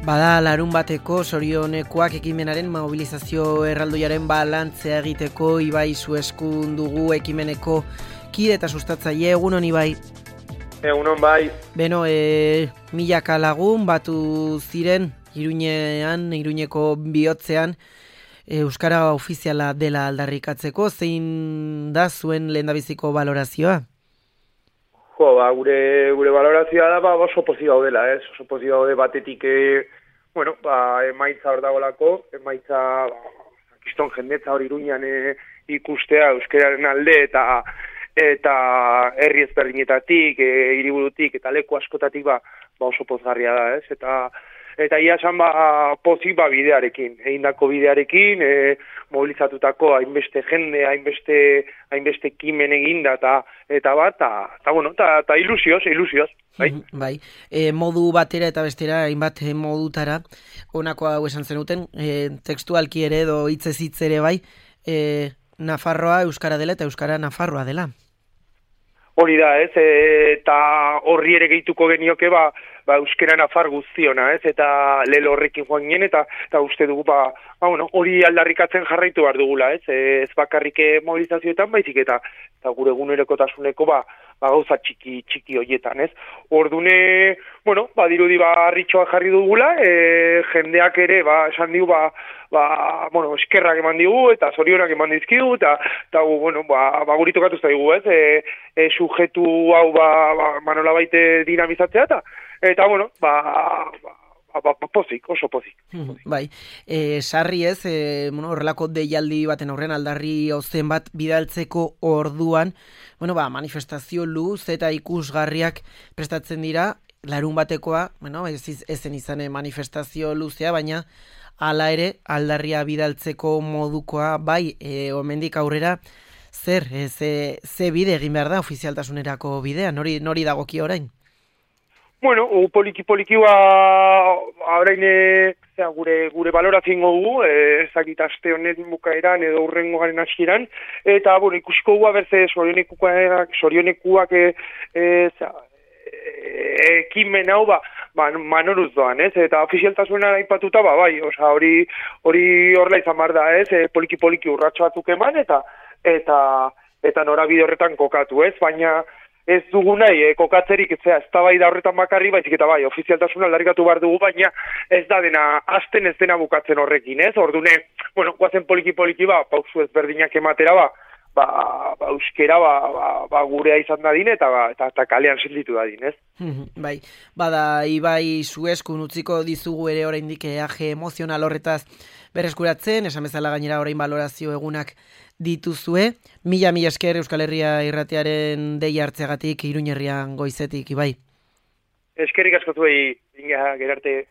Bada larun bateko sorionekoak ekimenaren mobilizazio erraldoiaren balantzea egiteko Ibai Zueskun dugu ekimeneko kide eta sustatzaile. Egunon Ibai. Egunon bai. Beno, milaka lagun batu ziren Iruñeko bihotzean euskara ofiziala dela aldarrikatzeko. Zein da zuen lehendabiziko balorazioa? Gure balorazioa da oso pozik gaudela, oso pozik gaude batetik, emaitza hor dagolako, emaitza kiston jendetza hor Iruñan ikustea euskararen alde eta herri ezberdinetatik, hiriburutik eta leku askotatik oso pozgarria da, Eta ia esan pozik bidearekin, egindako bidearekin, mobilizatutako hainbeste jende, hainbeste ekimen eginda eta ilusioz, bai? Bai, modu batera eta bestera, hainbat modutara, honako hau esan zenuten, tekstualki ere edo hitzez hitz ere bai, Nafarroa euskara dela eta euskara Nafarroa dela. Hori da, eta horri ere gehituko genioke, euskara nafar guztiona, eta lelo horrekin joan ginen, eta uste dugu, hori aldarrikatzen jarraitu behar dugula, ez bakarrik mobilizazioetan, baizik eta gure egunerokotasuneko, gauza txiki horietan, ez. Ordune, dirudi harritxoa jarri dugula, jendeak ere, esan digu, eskerrak eman digu, eta zorionak eman dizkigu, eta guri tokatu zaigu, ez, sujetu hau, manola baite dinamizatzea, eta pozik, oso pozik. Bai, sarri ez, horrelako deialdi baten aurrean aldarri ozen bat bidaltzeko orduan, manifestazio luz eta ikusgarriak prestatzen dira, larun batekoa, ezen izan manifestazio luzea, baina hala ere aldarria bidaltzeko modukoa, bai, omendik aurrera, ze bide egin behar da ofizialtasunerako bidea, nori dagoki orain? Poliki orain gure balorazio dugu, ezakit aste honen bukaeran edo hurrengo garen hasieran, eta ikusiko guga berze sorionekuak ekimen hau manoruz doan, eta ofizialtasuna aipatuta bai, hori horrela izan behar da, poliki urratxo batzuk eman, eta norabide horretan kokatu, baina ez dugu nahi, kokatzerik eztabaida horretan bakarri, baizik eta bai, ofizialtasuna aldarrikatu behar dugu, baina ez da dena, azten ez dena bukatzen horrekin, Ordune, guazen poliki, pausu ezberdinak ematera, euskera, gurea izan dadin, eta kalean silditu dadin, Bai, bada, Ibai Zueskun utziko dizugu ere oraindik eaje emozional horretaz berreskuratzen, esan bezala gainera orain balorazio egunak dituzue. Mila esker Euskal Herria irratiaren deia hartzeagatik Iruñerrian goizetik, Ibai. Eskerrik asko zuei, Gerarte.